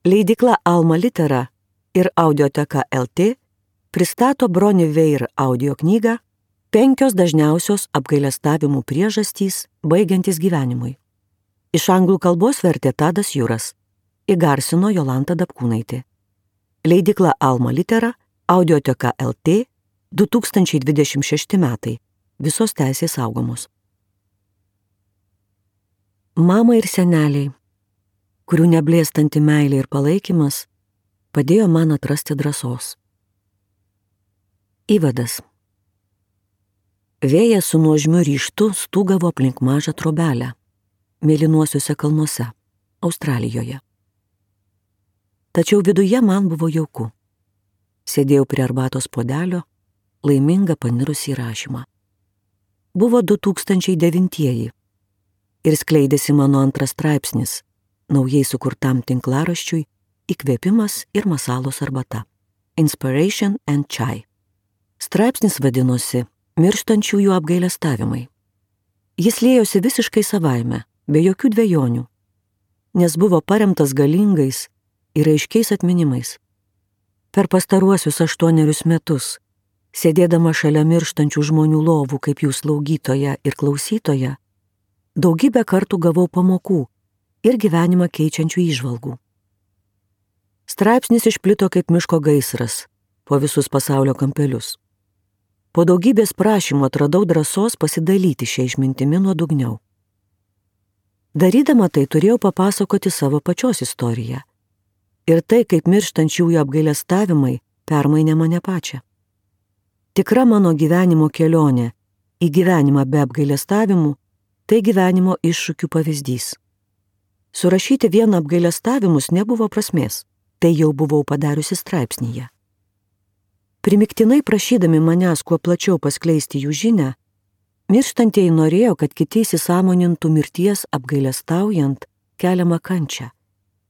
Leidykla Alma Litera ir Audioteka LT pristato Bronnie Ware audio knygą 5 dažniausios apgailestavimų priežastys baigiantis gyvenimui. Iš anglų kalbos vertė Tadas Juras, įgarsino Jolanta Dapkūnaitė. Leidykla Alma Litera, Audioteka LT, 2026 metai. Visos teisės saugomos. Mama ir seneliai, kurių neblėstanti meilė ir palaikymas, padėjo man atrasti drąsos. Įvadas. Vėjas su nuožmiu ryžtu stūgavo aplink mažą trobelę, mėlynuosiuose kalnuose, Australijoje. Tačiau viduje man buvo jauku. Sėdėjau prie arbatos puodelio, laiminga panirusi į rašymą. Buvo 2009 ir skleidėsi mano antras straipsnis, naujai sukurtam tinklaraščiui Įkvėpimas ir masalos arbata. Inspiration and Chai. Straipsnis vadinosi Mirštančiųjų apgailestavimai. Jis liejosi visiškai savaime, be jokių dvejonių, nes buvo paremtas galingais ir aiškiais atminimais. Per pastaruosius 8 metus, sėdėdama šalia mirštančių žmonių lovų kaip jų slaugytoja ir klausytoja, daugybę kartų gavau pamokų ir gyvenimą keičiančių įžvalgų. Straipsnis išplito kaip miško gaisras po visus pasaulio kampelius. Po daugybės prašymų atradau drąsos pasidalyti šią išmintimi nuodugniau. Darydama tai turėjau papasakoti savo pačios istoriją. Ir tai, kaip mirštančiųjų apgailestavimai permainė mane pačią. Tikra mano gyvenimo kelionė į gyvenimą be apgailestavimų – tai gyvenimo iššūkių pavyzdys. Surašyti vien apgailestavimus nebuvo prasmės, tai jau buvau padariusi straipsnyje. Primiktinai prašydami manęs kuo plačiau paskleisti jų žinią, mirštantieji norėjo, kad kiti įsisąmonintų mirties apgailestaujant keliamą kančią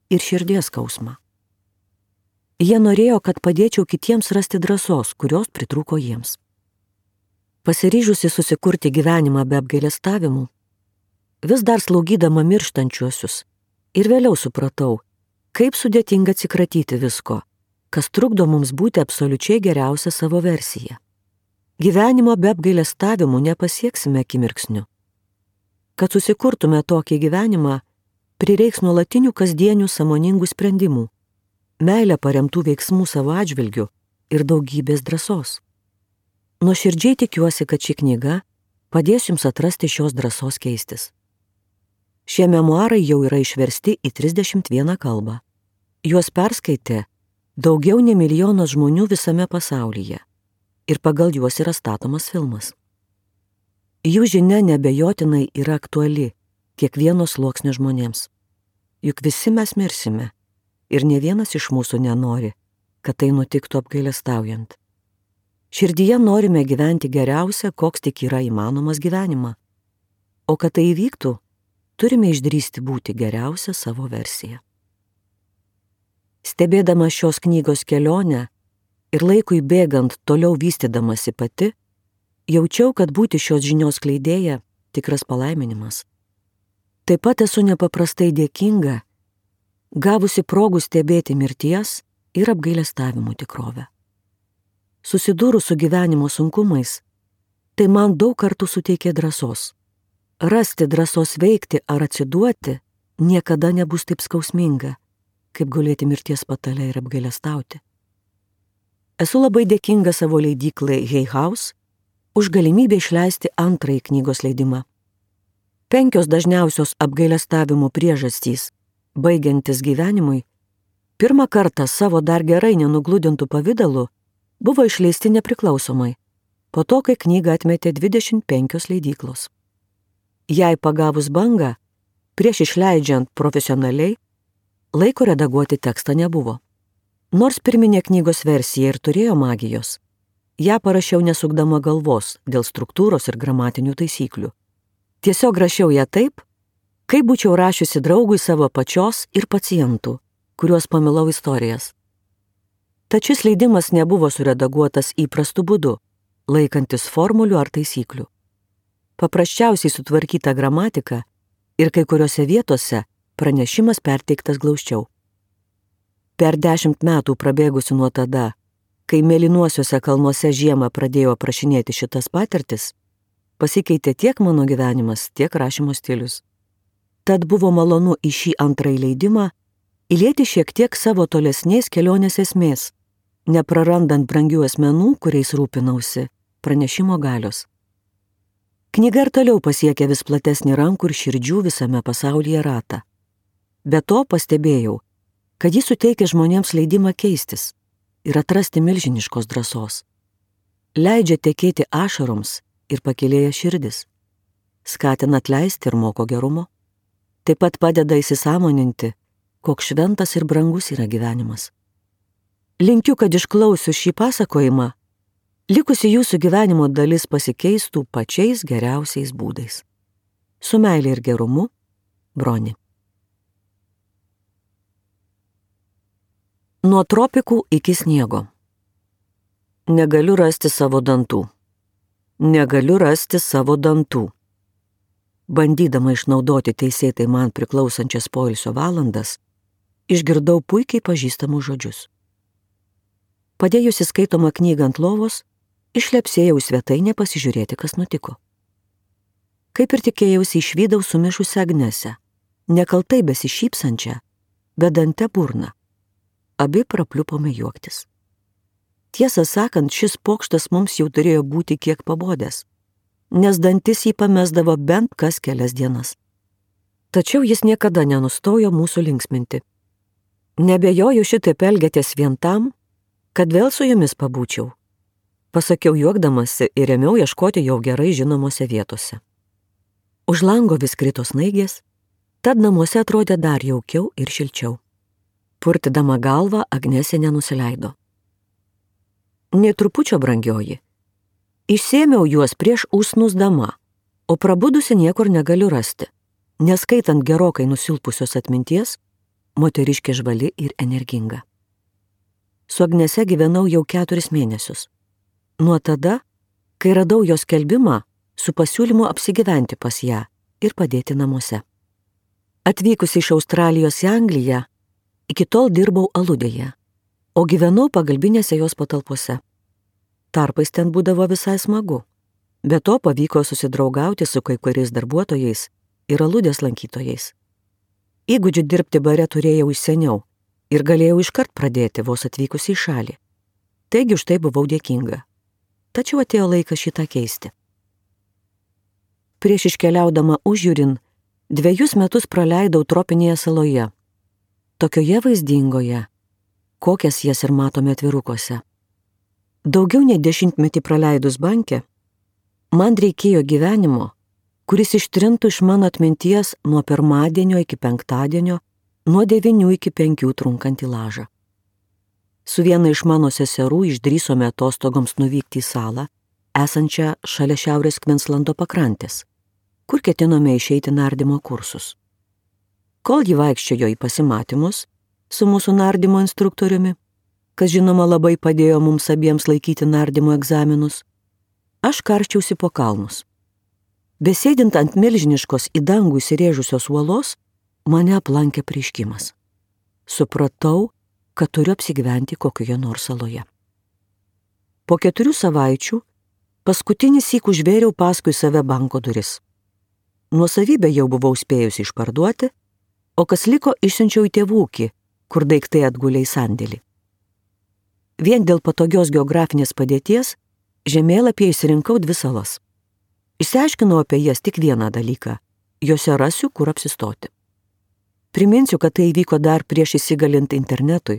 ir širdies skausmą. Jie norėjo, kad padėčiau kitiems rasti drąsos, kurios pritrūko jiems. Pasiryžusi susikurti gyvenimą be apgailestavimų, vis dar slaugydama mirštančiuosius ir vėliau supratau, kaip sudėtinga atsikratyti visko, kas trukdo mums būti absoliučiai geriausia savo versija. Gyvenimo be apgailestavimų nepasieksime akimirksniu. Kad susikurtume tokį gyvenimą, prireiks nuolatinių kasdienių sąmoningų sprendimų, meilę paremtų veiksmų savo atžvilgiu ir daugybės drąsos. Nuoširdžiai tikiuosi, kad ši knyga padės jums atrasti šios drąsos keistis. Šie memuarai jau yra išversti į 31 kalbą. Juos perskaitė daugiau nei 1 milijonas žmonių visame pasaulyje ir pagal juos yra statomas filmas. Jų žinia neabejotinai yra aktuali kiekvieno sluoksnio žmonėms. Juk visi mes mirsime ir ne vienas iš mūsų nenori, kad tai nutiktų apgailestaujant. Širdyje norime gyventi geriausią, koks tik yra įmanomas gyvenimą. O kad tai įvyktų, turime išdrįsti būti geriausia savo versija. Stebėdama šios knygos kelionę ir laikui bėgant toliau vystydamasi pati, jaučiau, kad būti šios žinios skleidėja tikras palaiminimas. Taip pat esu nepaprastai dėkinga, gavusi progų stebėti mirties ir apgailestavimų tikrovę. Susidūrus su gyvenimo sunkumais, tai man daug kartų suteikė drąsos. Rasti drąsos veikti ar atsiduoti niekada nebus taip skausminga, kaip gulėti mirties patale ir apgailestauti. Esu labai dėkinga savo leidyklai Hay House už galimybę išleisti antrąjį knygos leidimą. 5 dažniausios apgailestavimų priežastys baigiantis gyvenimui pirmą kartą savo dar gerai nenugludintų pavidalu buvo išleisti nepriklausomai, po to, kai knygą atmetė 25 leidyklos. Jai pagavus bangą, prieš išleidžiant profesionaliai, laiko redaguoti tekstą nebuvo. Nors pirminė knygos versija ir turėjo magijos, ją parašiau nesukdama galvos dėl struktūros ir gramatinių taisyklių. Tiesiog rašiau ją taip, kaip būčiau rašiusi draugui savo pačios ir pacientų, kuriuos pamilau istorijas. Tačiau šis leidimas nebuvo suredaguotas įprastu būdu, laikantis formulių ar taisyklių. Paprasčiausiai sutvarkyta gramatika ir kai kuriuose vietose pranešimas perteiktas glausčiau. Per 10 metų prabėgusių nuo tada, kai mėlynuosiuose kalnuose žiemą pradėjo aprašinėti šitas patirtis, pasikeitė tiek mano gyvenimas, tiek rašymo stilius. Tad buvo malonu į šį antrąjį leidimą įlieti šiek tiek savo tolesnės kelionės esmės, neprarandant brangių asmenų, kuriais rūpinausi, pranešimo galios. Knyga ir toliau pasiekė vis platesnį rankų ir širdžių visame pasaulyje ratą. Be to pastebėjau, kad jis suteikia žmonėms leidimą keistis ir atrasti milžiniškos drąsos. Leidžia tekėti ašaroms ir pakylėja širdis. Skatina atleisti ir moko gerumo. Taip pat padeda įsisąmoninti, koks šventas ir brangus yra gyvenimas. Linkiu, kad išklausius šį pasakojimą, likusi jūsų gyvenimo dalis pasikeistų pačiais geriausiais būdais. Su meilė ir gerumu, Broni. Nuo tropikų iki sniego. Negaliu rasti savo dantų. Negaliu rasti savo dantų. Bandydama išnaudoti teisėtai man priklausančias poilsio valandas, išgirdau puikiai pažįstamus žodžius. Padėjusi skaitomą knygą ant lovos, išlepsėjau į svetainę pasižiūrėti, kas nutiko. Kaip ir tikėjausi, išvydau sumišusią Agnesę, nekaltai besišypsančią, bedante burną. Abi prapliupome juoktis. Tiesą sakant, šis pokštas mums jau turėjo būti kiek pabodęs, nes dantis jį pamesdavo bent kas kelias dienas. Tačiau jis niekada nenustojo mūsų linksminti. Nebejoju, šitaip elgiatės vien tam, kad vėl su jumis pabūčiau. Pasakiau juokdamasi ir ėmiau ieškoti jau gerai žinomose vietose. Už lango vis krito snaigės, tad namuose atrodė dar jaukiau ir šilčiau. Purtydama galvą, Agnesė nenusileido. Nė trupučio, brangioji. Išsėmiau juos prieš užsnūsdama, o prabudusi niekur negaliu rasti, neskaitant gerokai nusilpusios atminties, moteriškė žvali ir energinga. Su Agnese gyvenau jau 4 mėnesius. Nuo tada, kai radau jos skelbimą su pasiūlymu apsigyventi pas ją ir padėti namuose. Atvykusi iš Australijos į Angliją, iki tol dirbau aludėje, o gyvenau pagalbinėse jos patalpose. Tarpais ten būdavo visai smagu. Be to pavyko susidraugauti su kai kuriais darbuotojais ir aludės lankytojais. Įgūdžių dirbti bare turėjau iš seniau ir galėjau iškart pradėti vos atvykusi į šalį. Taigi už tai buvau dėkinga. Tačiau atėjo laikas šitą keisti. Prieš iškeliaudama užjūrin, 2 metus praleidau tropinėje saloje, tokioje vaizdingoje, kokias jas ir matome atvirukuose. Daugiau nei 10 metį praleidus banke, man reikėjo gyvenimo, kuris ištrintų iš mano atminties nuo pirmadienio iki penktadienio, nuo 9 iki 5 trunkantį lažą. Su viena iš mano seserų išdrįsome atostogoms nuvykti į salą, esančią šalia Šiaurės Kvinslando pakrantės, kur ketinome išeiti nardymo kursus. Kol ji vaikščiojo į pasimatymus su mūsų nardymo instruktoriumi, kas žinoma labai padėjo mums abiems laikyti nardymo egzaminus, aš karščiausi po kalnus. Besėdint ant milžiniškos į dangų įsirėžusios uolos, mane aplankė apreiškimas. Supratau, kad turiu apsigyventi kokioje nors saloje. Po 4 savaičių paskutinį syk užvėriau paskui save banko duris. Nuosavybę jau buvau spėjusi išparduoti, o kas liko išsiunčiau į tėvūkį, kur daiktai atgulė į sandėlį. Vien dėl patogios geografinės padėties žemėlapyje išsirinkau 2 salas. Išsiaiškinau apie jas tik vieną dalyką – jose rasiu, kur apsistoti. Priminsiu, kad tai įvyko dar prieš įsigalint internetui,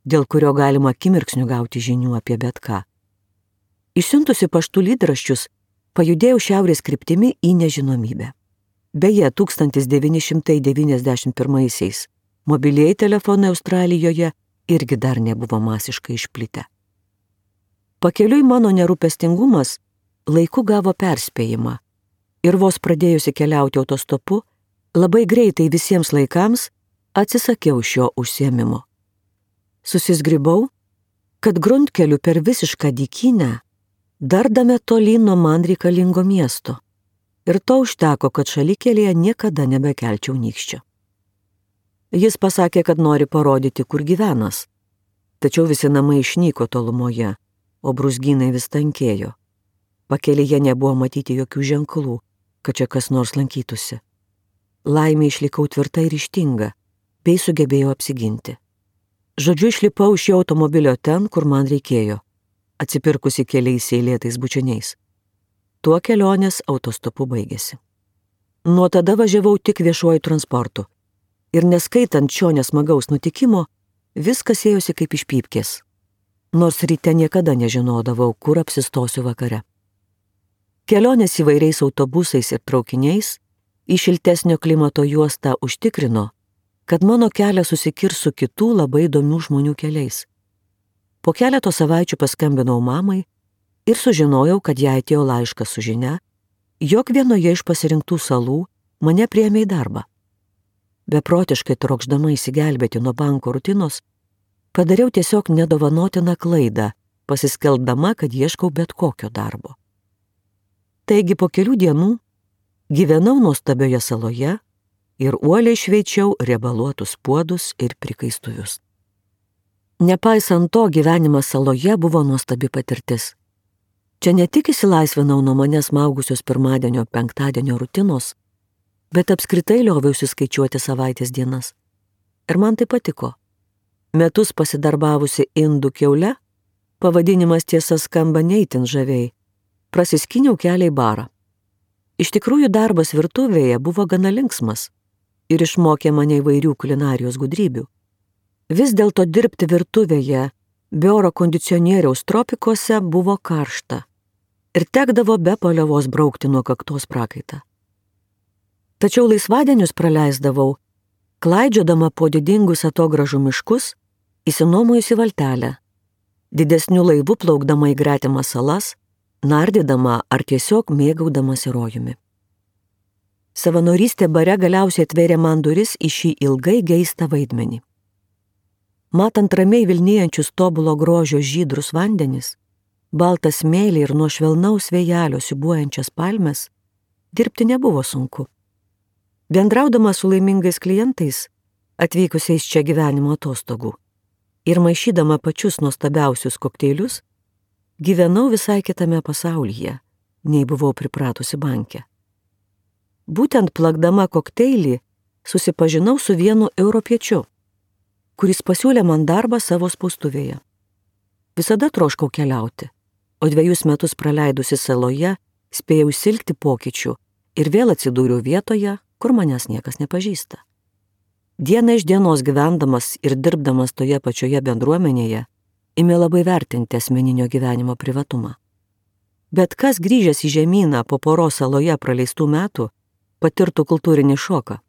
dėl kurio galima akimirksniu gauti žinių apie bet ką. Išsiuntusi paštų lydraščius, pajudėjau šiaurės kryptimi į nežinomybę. Beje, 1991-aisiais mobilieji telefonai Australijoje irgi dar nebuvo masiškai išplitę. Pakeliui mano nerūpestingumas laiku gavo perspėjimą ir vos pradėjusi keliauti autostopu, labai greitai visiems laikams atsisakiau šio užsiėmimo. Susizgribau, kad gruntkeliu per visišką dykynę dardame tolyn nuo man reikalingo miesto. Ir to užteko, kad šalikelėje niekada nebekelčiau nykščio. Jis pasakė, kad nori parodyti, kur gyvenas, Tačiau visi namai išnyko tolumoje, o brūzgynai vis tankėjo. Pakelyje nebuvo matyti jokių ženklų, kad čia kas nors lankytųsi. Laimė išlikau tvirta ir ryžtinga, bei sugebėjau apsiginti. Žodžiu, išlipau iš jo automobilio ten, kur man reikėjo, atsipirkusi keliais eilėtais bučiniais. Tuo kelionės autostopu baigėsi. Nuo tada važiavau tik viešuoju transportu. Ir neskaitant šio nesmagaus nutikimo, viskas ėjosi kaip iš pypkės. Nors ryte niekada nežinodavau, kur apsistosiu vakare. Kelionės įvairiais autobusais ir traukiniais į šiltesnio klimato juostą užtikrino, kad mano kelias susikirs su kitų labai įdomių žmonių keliais. Po keleto savaičių paskambinau mamai ir sužinojau, kad jai atėjo laiškas su žinia, jog vienoje iš pasirinktų salų mane priėmė į darbą. Beprotiškai trokšdama įsigelbėti nuo banko rutinos, padariau tiesiog nedovanotiną klaidą, pasiskelbdama, kad ieškau bet kokio darbo. Taigi po kelių dienų gyvenau nuostabioje saloje ir uoliai šveičiau riebaluotus puodus ir prikaistuvius. Nepaisant to, gyvenimas saloje buvo nuostabi patirtis. Čia ne tik išsilaisvinau nuo manęs maugusios pirmadienio, penktadienio rutinos, bet apskritai lioviausi skaičiuoti savaitės dienas. Ir man tai patiko. Metus pasidarbavusi indų kiaule, pavadinimas tiesa skamba neįtin žaviai, prasiskyniau kelią į barą. Iš tikrųjų darbas virtuvėje buvo gana linksmas ir išmokė mane įvairių kulinarijos gudrybių. Vis dėlto dirbti virtuvėje be oro kondicionieriaus tropikuose buvo karšta ir tekdavo be paliovos braukti nuo kaktos prakaitą. Tačiau laisvadienius praleisdavau, klaidžiodama po didingus atogražų miškus, įsinuomojusi valtelę, didesniu laivu plaukdama į gretimas salas, nardydama ar tiesiog mėgaudamasi rojumi. Savanorystė bare galiausiai atvėrė man duris į šį ilgai geistą vaidmenį. Matant ramiai vilnijančius tobulo grožio žydrus vandenis, baltą smėlį ir nuo švelnaus vėjelio siūbuojančias palmes, dirbti nebuvo sunku. Bendraudama su laimingais klientais, atvykusiais čia gyvenimo atostogų, ir maišydama pačius nuostabiausius kokteilius, gyvenau visai kitame pasaulyje, nei buvau pripratusi banke. Būtent plakdama kokteilį susipažinau su vienu europiečiu, kuris pasiūlė man darbą savo spaustuvėje. Visada troškau keliauti, o 2 metus praleidusi saloje spėjau silkti pokyčių ir vėl atsidūriau vietoje, kur manęs niekas nepažįsta. Diena iš dienos gyvendamas ir dirbdamas toje pačioje bendruomenėje, ėmė labai vertinti asmeninio gyvenimo privatumą. Bet kas grįžęs į žemyną po poros saloje praleistų metų, patirtų kultūrinį šoką.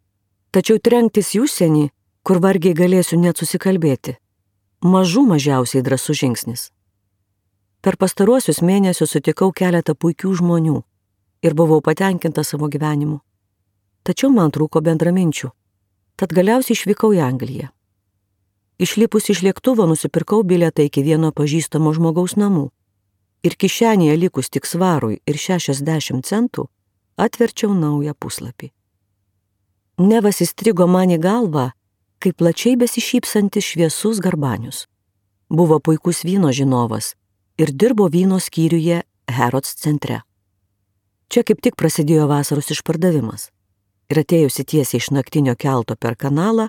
Tačiau trenktis į užsienį, kur vargiai galėsiu net susikalbėti, mažiausiai drąsus žingsnis. Per pastaruosius mėnesius sutikau keletą puikių žmonių ir buvau patenkinta savo gyvenimu. Tačiau man trūko bendraminčių, tad galiausiai išvykau į Angliją. Išlipus iš lėktuvo nusipirkau bilietą iki vieno pažįstamo žmogaus namų ir kišenėje likus tik svarui ir 60 centų atverčiau naują puslapį. Nevas įstrigo man į galvą, kaip plačiai besišypsantis šviesus Garbanius. Buvo puikus vyno žinovas ir dirbo vyno skyriuje Harrods centre. Čia kaip tik prasidėjo vasaros išpardavimas ir atėjusi tiesiai iš naktinio kelto per kanalą,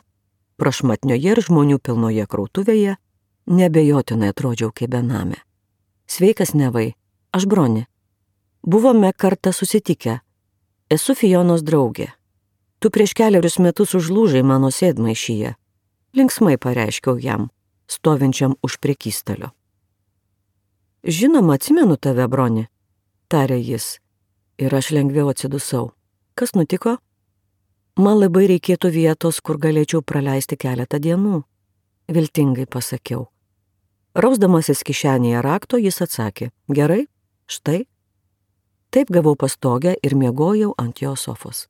prašmatnioje ir žmonių pilnoje krautuvėje, nebejotinai atrodžiau kaip benamė. Sveikas, Nevai, aš Bronė. Buvome kartą susitikę. Esu Fionos draugė. Tu prieš keliarius metus užlūžai mano sėdmaišyje. Linksmai pareiškiau jam, stovinčiam už prekystalio. Žinoma, atsimenu tave, Bronė, tarė jis, ir aš lengviau atsidusau. Kas nutiko? Man labai reikėtų vietos, kur galėčiau praleisti keletą dienų, viltingai pasakiau. Rausdamasis kišenėje rakto, jis atsakė, gerai, štai. Taip gavau pastogę ir miegojau ant jo sofos.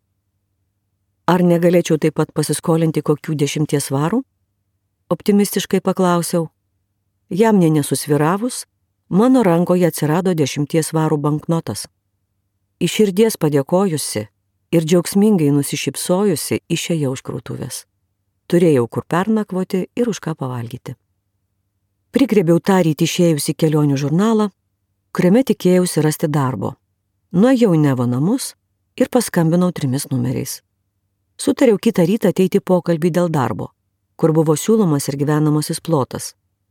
Ar negalėčiau taip pat pasiskolinti kokių 10 svarų? Optimistiškai paklausiau. Jam nė nesusviravus, mano rankoje atsirado 10 svarų banknotas. Iš širdies padėkojusi ir džiaugsmingai nusišypsojusi išėjau iš krautuvės. Turėjau kur pernakvoti ir už ką pavalgyti. Prigrėbiau tą rytį išėjusi kelionių žurnalą, kuriame tikėjausi rasti darbo. Nuėjau į Nevo namus ir paskambinau 3 numeriais. Sutariau kitą rytą ateiti pokalbį dėl darbo, kur buvo siūlomas ir gyvenamasis plotas,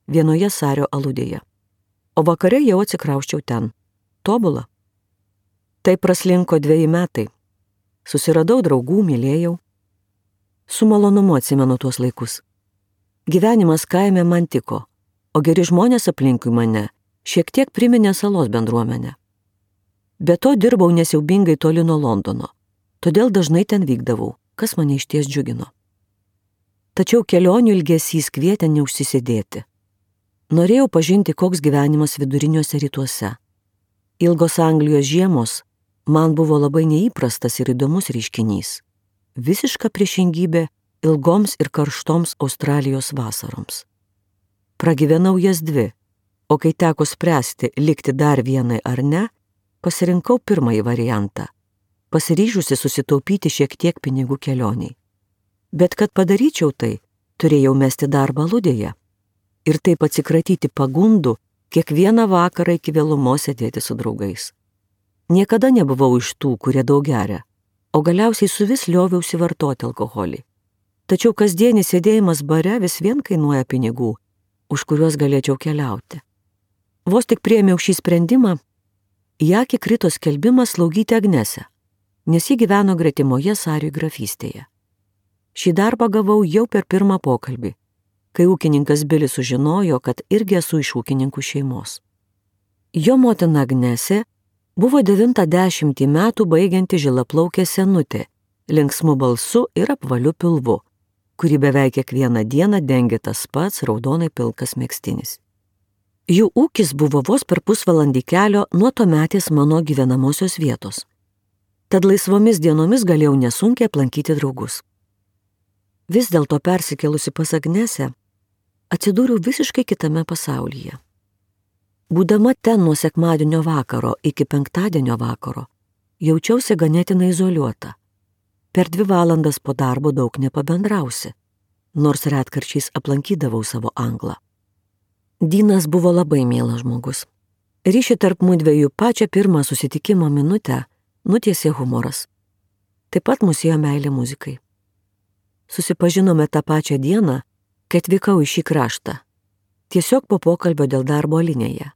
vienoje Sario aludėje. O vakare jau atsikrausčiau ten. Tobula. Tai praslinko 2 metai. Susiradau draugų, mylėjau. Su malonumu atsimenu tuos laikus. Gyvenimas kaime man tiko, o geri žmonės aplinkui mane šiek tiek priminė salos bendruomenę. Be to dirbau nesiaubingai toli nuo Londono, todėl dažnai ten vykdavau, kas mane išties džiugino. Tačiau kelionių ilgesys kvietė neužsisėdėti. Norėjau pažinti, koks gyvenimas viduriniuose rytuose. Ilgos Anglijos žiemos man buvo labai neįprastas ir įdomus reiškinys. Visiška priešingybė ilgoms ir karštoms Australijos vasaroms. Pragyvenau jas 2, o kai teko spręsti, likti dar vienai ar ne, pasirinkau pirmąjį variantą, pasiryžusi susitaupyti šiek tiek pinigų kelioniai. Bet kad padaryčiau tai, turėjau mesti darbą aludėje ir taip atsikratyti pagundų kiekvieną vakarą iki vėlumos sėdėti su draugais. Niekada nebuvau iš tų, kurie daug geria, o galiausiai suvis lioviausi vartoti alkoholį. Tačiau kasdienis sėdėjimas bare vis vien kainuoja pinigų, už kuriuos galėčiau keliauti. Vos tik priėmiau šį sprendimą, į akį krito skelbimas slaugyti Agnesę, nes ji gyveno gretimoje Sariui grafystėje. Šį darbą gavau jau per pirmą pokalbį, kai ūkininkas Bilis sužinojo, kad irgi esu iš ūkininkų šeimos. Jo motina Agnesė buvo 90 metų baigianti žilaplaukė senutė, linksmu balsu ir apvaliu pilvu, kurį beveik kiekvieną dieną dengė tas pats raudonai pilkas megztinis. Jų ūkis buvo vos per pusvalandį kelio nuo tuometės mano gyvenamosios vietos. Tad laisvomis dienomis galėjau nesunkiai aplankyti draugus. Vis dėlto persikėlusi pas Agnesę, atsidūriau visiškai kitame pasaulyje. Būdama ten nuo sekmadienio vakaro iki penktadienio vakaro, jaučiausi ganėtinai izoliuota. Per 2 valandas po darbo daug nepabendrausi, nors retkarčiais aplankydavau savo anglą. Dynas buvo labai mielas žmogus. Ryšį tarp mudviejų pačią pirmą susitikimo minutę nutiesė humoras. Taip pat mus ėjo meilė muzikai. Susipažinome tą pačią dieną, kai atvykau į šį kraštą, tiesiog po pokalbio dėl darbo linėje.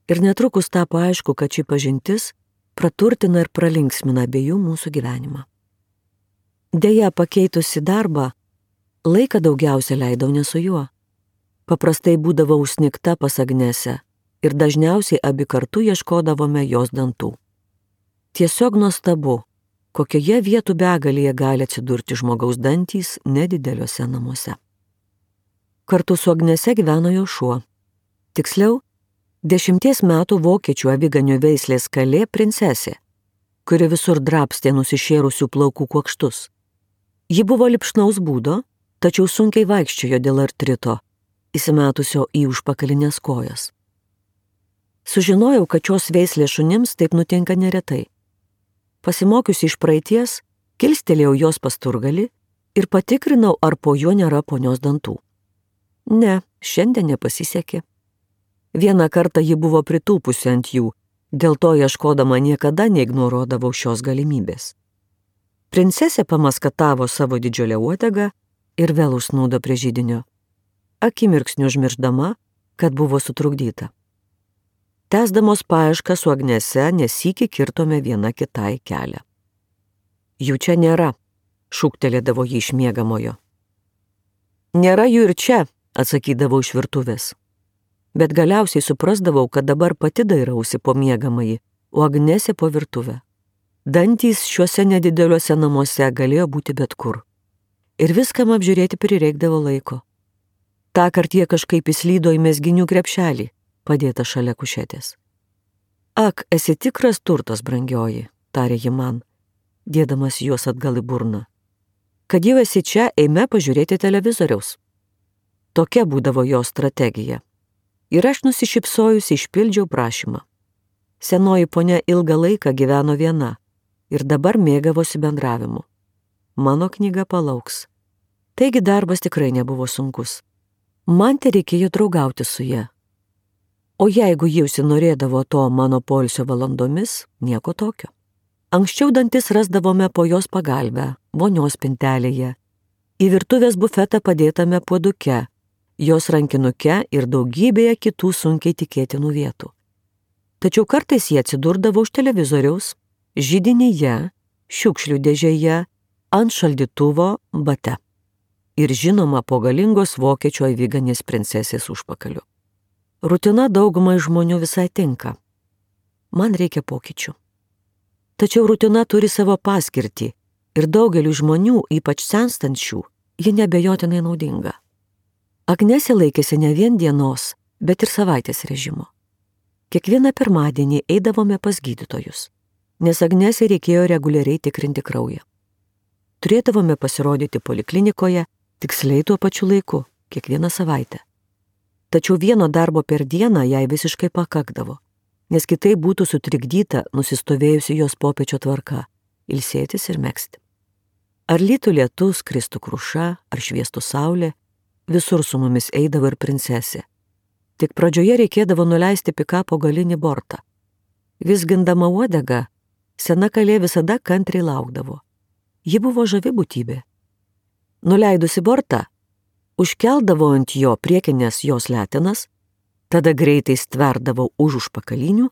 Ir netrukus tapo aišku, kad ši pažintis praturtina ir pralinksmina abiejų mūsų gyvenimą. Deja, pakeitusi darbą, laiką daugiausia leidau ne su juo. Paprastai būdavau užsnigta pas Agnesę ir dažniausiai abi kartu ieškodavome jos dantų. Tiesiog nuostabu, kokioje vietų begalėje gali atsidurti žmogaus dantys nedideliuose namuose. Kartu su Agnese gyveno jo šuo. Tiksliau, 10 metų vokiečių aviganių veislės kalė princesė, kuri visur drabstė nusišėrusių plaukų kuokštus. Ji buvo lipšnaus būdo, tačiau sunkiai vaikščiojo dėl artrito, įsimetusio į užpakalinės kojas. Sužinojau, kad šios veislės šunims taip nutinka neretai. Pasimokiusi iš praeities, kilstelėjau jos pasturgalį ir patikrinau, ar po juo nėra ponios dantų. Ne, šiandien nepasisekė. Vieną kartą ji buvo pritūpusi ant jų, dėl to ieškodama niekada neignoruodavau šios galimybės. Princesė pamaskatavo savo didžiulę uodegą ir vėl užsnūdo prie židinio, akimirksniu užmiršdama, kad buvo sutrukdyta. Tęsdamos paiešką su Agnese nesykį kirtome viena kitai kelią. Jų čia nėra, šūktelėdavo ji iš miegamojo. Nėra jų ir čia, atsakydavau iš virtuvės. Bet galiausiai suprasdavau, kad dabar pati dairausi po miegamąjį, o Agnesė po virtuvę. Dantys šiuose nedideliuose namuose galėjo būti bet kur. Ir viskam apžiūrėti prireikdavo laiko. Tąkart jie kažkaip įslydo į mezginių krepšelį, padėta šalia kušetės. Ak, esi tikras turtas, brangioji, tarė ji man, dėdamas juos atgal į burną. Kad jau esi čia, eime pažiūrėti televizoriaus. Tokia būdavo jo strategija. Ir aš nusišypsojusi išpildžiau prašymą. Senoji ponia ilgą laiką gyveno viena ir dabar mėgavosi bendravimu. Mano knyga palauks. Taigi darbas tikrai nebuvo sunkus. Man tereikėjo draugauti su ja. O jeigu ji užsinorėdavo to mano poilsio valandomis, nieko tokio. Anksčiau dantis rasdavome po jos pagalbę, vonios spintelėje, į virtuvės bufetą padėtame puoduke, jos rankinuke ir daugybėje kitų sunkiai tikėtinų vietų. Tačiau kartais jie atsidurdavo už televizoriaus, židinyje, šiukšlių dėžėje, ant šaldytuvo bate. Ir žinoma po galingos vokiečių aviganės princesės užpakaliu. Rutina daugumai žmonių visai tinka. Man reikia pokyčių. Tačiau rutina turi savo paskirtį ir daugeliu žmonių, ypač senstančių, ji nebejotinai naudinga. Agnesė laikėsi ne vien dienos, bet ir savaitės režimo. Kiekvieną pirmadienį eidavome pas gydytojus, nes Agnesė reikėjo reguliariai tikrinti kraują. Turėdavome pasirodyti poliklinikoje tiksliai tuo pačiu laiku, kiekvieną savaitę. Tačiau vieno darbo per dieną jai visiškai pakakdavo, nes kitaip būtų sutrikdyta nusistovėjusi jos popiečio tvarka – ilsėtis ir megzti. Ar lytų lietus, kristų kruša, ar šviestų saulė, visur su mumis eidavo ir princesė. Tik pradžioje reikėdavo nuleisti pikapo galinį bortą. Vizgindama uodegą, sena kalė visada kantriai laukdavo. Ji buvo žavi būtybė. Nuleidusi bortą, užkeldavo ant jo priekinės jos letenas, tada greitai stverdavau už užpakalinių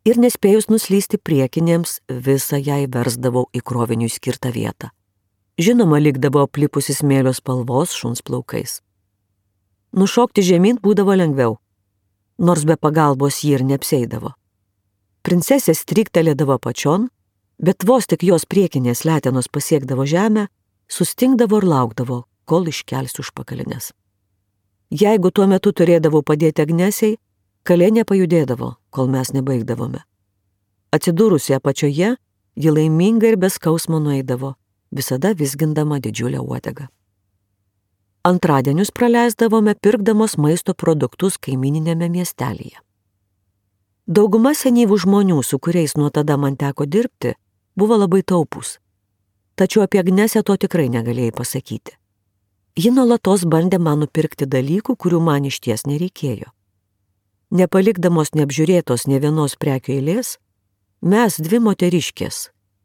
ir nespėjus nuslysti priekinėms, visą jai versdavau į kroviniui skirtą vietą. Žinoma, likdavo aplipusi smėlio spalvos šuns plaukais. Nušokti žemyn būdavo lengviau, nors be pagalbos ji ir neapseidavo. Princesė stryktelėdavo apačion, bet vos tik jos priekinės letenos pasiekdavo žemę, sustingdavo ir laukdavo, kol iškelsiu užpakalinės. Jeigu tuo metu turėdavau padėti Agnesiai, kalė nepajudėdavo, kol mes nebaigdavome. Atsidūrusi apačioje, ji laiminga ir be skausmo nueidavo, visada vizgindama didžiulę uodegą. Antradienius praleisdavome pirkdamos maisto produktus kaimininėme miestelėje. Dauguma senyvų žmonių, su kuriais nuo tada man teko dirbti, buvo labai taupūs. Tačiau apie Agnesę to tikrai negalėjai pasakyti. Ji nuolatos bandė man nupirkti dalykų, kurių man išties nereikėjo. Nepalikdamos neapžiūrėtos nė vienos prekių eilės, mes dvi moteriškės,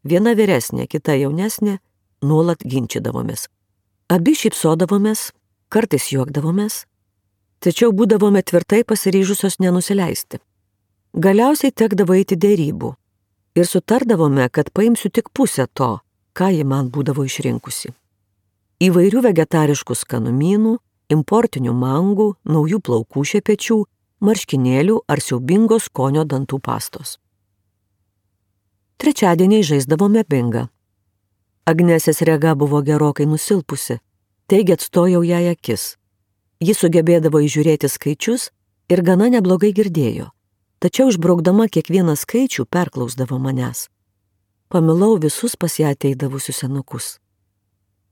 viena vyresnė, kita jaunesnė, nuolat ginčydavomės. Abi šypsodavomės, kartais juokdavomės, tačiau būdavome tvirtai pasiryžusios nenusileisti. Galiausiai tekdavo eiti dėrybų ir sutardavome, kad paimsiu tik pusę to, ką ji man būdavo išrinkusi. Įvairių vegetariškų skanumynų, importinių mangų, naujų plaukų šepečių, marškinėlių ar siaubingos skonio dantų pastos. Trečiadieniai žaisdavome bingą. Agnesės rega buvo gerokai nusilpusi, taigi atstojau jai akis. Ji sugebėdavo įžiūrėti skaičius ir gana neblogai girdėjo, tačiau išbraukdama kiekvieną skaičių perklausdavo manęs. Pamilau visus pas ją ateidavusius senukus.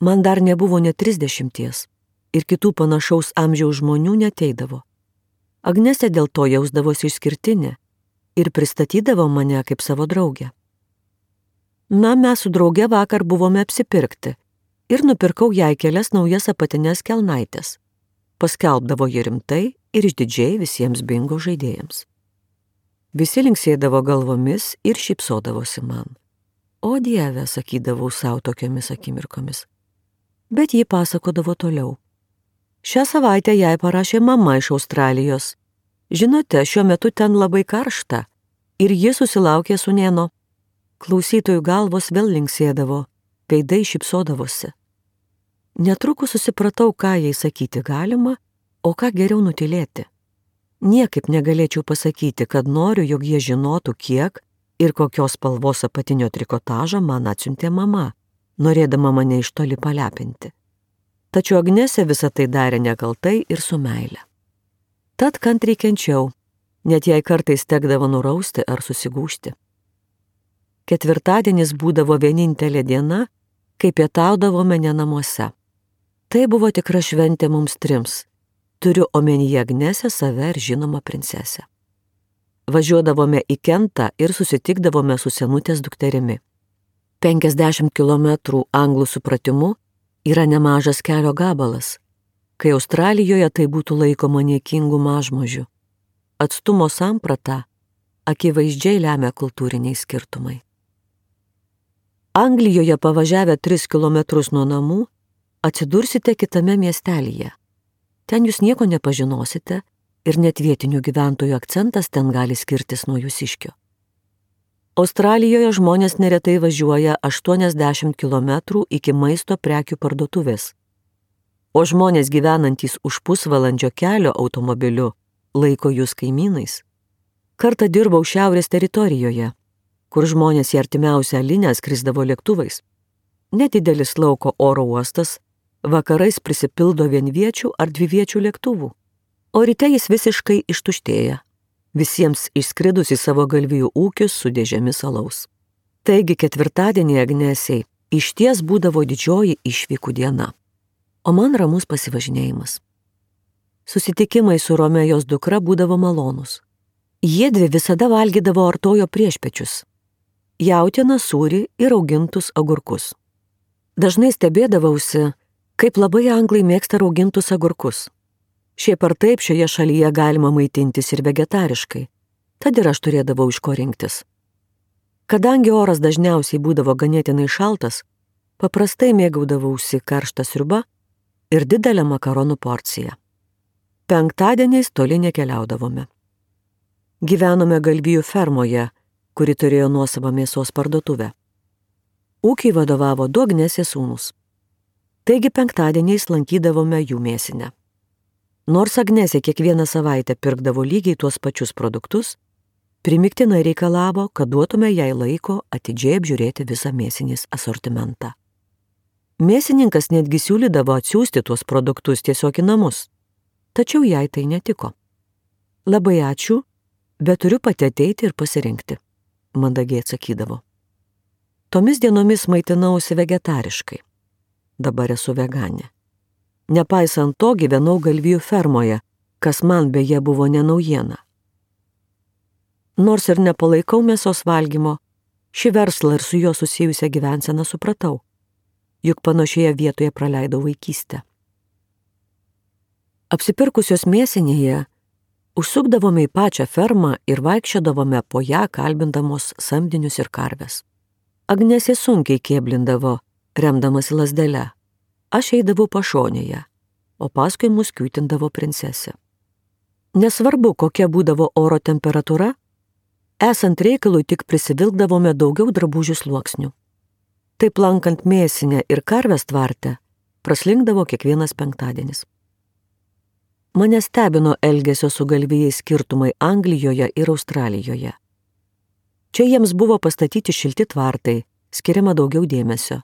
Man dar nebuvo net 30 ir kitų panašaus amžiaus žmonių neteidavo. Agnesė dėl to jausdavosi išskirtinė ir pristatydavo mane kaip savo draugę. Na, mes su drauge vakar buvome apsipirkti ir nupirkau jai kelias naujas apatinės kelnaitės. Paskelbdavo ji rimtai ir išdidžiai visiems bingo žaidėjams. Visi linksėdavo galvomis ir šypsodavosi man. O Dieve, sakydavau savo tokiomis akimirkomis. Bet ji pasakodavo toliau. Šią savaitę jai parašė mama iš Australijos. Žinote, šiuo metu ten labai karšta ir ji susilaukė sūnėno. Klausytojų galvos vėl linksėdavo, veidai šypsodavosi. Netrukus susipratau, ką jai sakyti galima, o ką geriau nutylėti. Niekaip negalėčiau pasakyti, kad noriu, jog jie žinotų, kiek ir kokios spalvos apatinio trikotažą man atsiuntė mama, norėdama mane iš toli palepinti. Tačiau Agnesė visą tai darė nekaltai ir su meile. Tad kantriai kenčiau, net jei kartais tekdavo nurausti ar susigūžti. Ketvirtadienis būdavo vienintelė diena, kai pietaudavome ne namuose. Tai buvo tikra šventė mums trims. Turiu omenyje Agnesę, save ir žinoma princesę. Važiuodavome į Kentą ir susitikdavome su senutės dukterimi. 50 kilometrų anglų supratimu yra nemažas kelio gabalas. kai Australijoje tai būtų laikoma niekingų mažmožių. Atstumo samprata akivaizdžiai lemia kultūriniai skirtumai. Anglijoje pavažiavę 3 kilometrus nuo namų atsidursite kitame miestelyje. Ten jūs nieko nepažinosite ir net vietinių gyventojų akcentas ten gali skirtis nuo jūsiškio. Australijoje žmonės neretai važiuoja 80 km iki maisto prekių parduotuvės, o žmonės gyvenantys už pusvalandžio kelio automobiliu laiko jūs kaimynais. Kartą dirbau Šiaurės teritorijoje, kur žmonės į artimiausią linę skrisdavo lėktuvais. Nedidelis lauko oro uostas vakarais prisipildo vienviečių ar dviviečių lėktuvų, o ryte jis visiškai ištuštėja, visiems išskridus į savo galvijų ūkius su dėžėmis alaus. Taigi ketvirtadienį Agnesiai išties būdavo didžioji išvykų diena, o man ramus pasivažinėjimas. Susitikimai su Romėjos dukra būdavo malonus. Jiedvi visada valgydavo artojo priešpečius, jautieną, sūrį ir augintus agurkus. Dažnai stebėdavausi, kaip labai anglai mėgsta raugintus agurkus. Šiaip ar taip šioje šalyje galima maitintis ir vegetariškai, tad ir aš turėdavau iš ko rinktis. Kadangi oras dažniausiai būdavo ganėtinai šaltas, paprastai mėgaudavausi karštą sriubą ir didelę makaronų porciją. Penktadieniais toli nekeliaudavome. Gyvenome galvijų fermoje, kuri turėjo nuosavą mėsos parduotuvę. Ūkiai vadovavo du Agnesės sūnus. Taigi penktadieniais lankydavome jų mėsinę. Nors Agnesė kiekvieną savaitę pirkdavo lygiai tuos pačius produktus, primiktinai reikalavo, kad duotume jai laiko atidžiai apžiūrėti visą mėsinės asortimentą. Mėsininkas netgi siūlydavo atsiųsti tuos produktus tiesiog į namus, tačiau jai tai netiko. Labai ačiū, bet turiu pati ateiti ir pasirinkti, mandagiai atsakydavo. Tomis dienomis maitinausi vegetariškai. Dabar esu veganė. Nepaisant to gyvenau galvijų fermoje, kas man beje buvo ne naujiena. Nors ir nepalaikau mėsos valgymo, šį verslą ir su juo susijusią gyvenseną supratau, juk panašioje vietoje praleidau vaikystę. Apsipirkusios mėsinėje užsukdavome į pačią fermą ir vaikščiodavome po ją kalbindamos samdinius ir karves. Agnesė sunkiai kėblindavo, remdamasi lazdele. Aš eidavau pašonėje, o paskui mus kiūtindavo princesė. Nesvarbu, kokia būdavo oro temperatūra, esant reikalui tik prisivilkdavome daugiau drabužių sluoksnių. Taip lankant mėsinę ir karves tvarte, praslinkdavo kiekvienas penktadienis. Mane stebino elgesio su galvijais skirtumai Anglijoje ir Australijoje. Čia jiems buvo pastatyti šilti tvartai, skiriama daugiau dėmesio.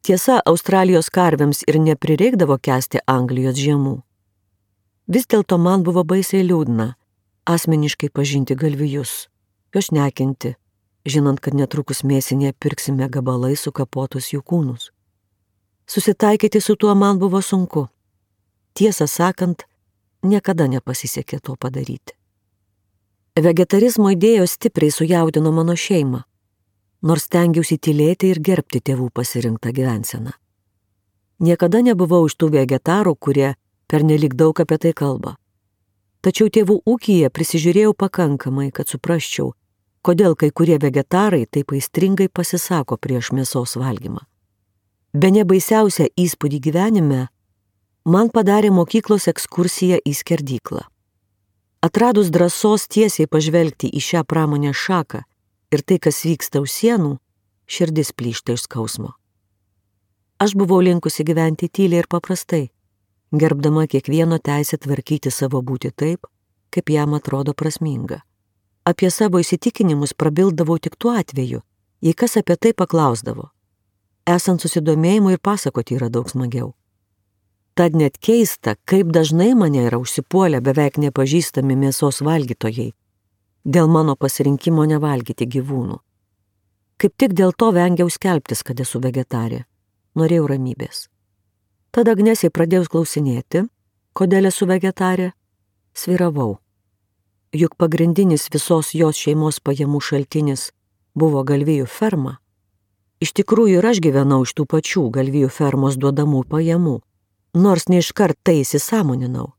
Tiesa, Australijos karvėms ir neprireikdavo kęsti Anglijos žiemų. Vis dėlto man buvo baisiai liūdna asmeniškai pažinti galvijus, juos nekinti, žinant, kad netrukus mėsinėje pirksime gabalai sukapotus jų kūnus. Susitaikyti su tuo man buvo sunku. Tiesą sakant, niekada nepasisekė to padaryti. Vegetarizmo idėjos stipriai sujaudino mano šeimą, nors stengiausi tylėti ir gerbti tėvų pasirinktą gyvenseną. Niekada nebuvau iš tų vegetarų, kurie pernelyg daug apie tai kalba. Tačiau tėvų ūkyje prisižiūrėjau pakankamai, kad suprasčiau, kodėl kai kurie vegetarai taip aistringai pasisako prieš mėsos valgymą. Bene baisiausią įspūdį gyvenime man padarė mokyklos ekskursija į skerdyklą. Atradus drąsos tiesiai pažvelgti į šią pramonės šaką ir tai, kas vyksta už sienų, širdis plyšta iš skausmo. Aš buvau linkusi gyventi tyliai ir paprastai, gerbdama kiekvieno teisę tvarkyti savo būtį taip, kaip jam atrodo prasminga. Apie savo įsitikinimus prabildavau tik tuo atveju, jei kas apie tai paklausdavo. Esant susidomėjimui ir pasakoti yra daug smagiau. Tad net keista, kaip dažnai mane yra užsipuolę beveik nepažįstami mėsos valgytojai dėl mano pasirinkimo nevalgyti gyvūnų. Kaip tik dėl to vengiau skelbtis, kad esu vegetarė. Norėjau ramybės. Tada Agnesei pradėjau klausinėti, kodėl esu vegetarė, svyravau. Juk pagrindinis visos jos šeimos pajamų šaltinis buvo galvijų ferma. Iš tikrųjų ir aš gyvenau iš tų pačių galvijų fermos duodamų pajamų. nors neiškart tai įsisąmoninau.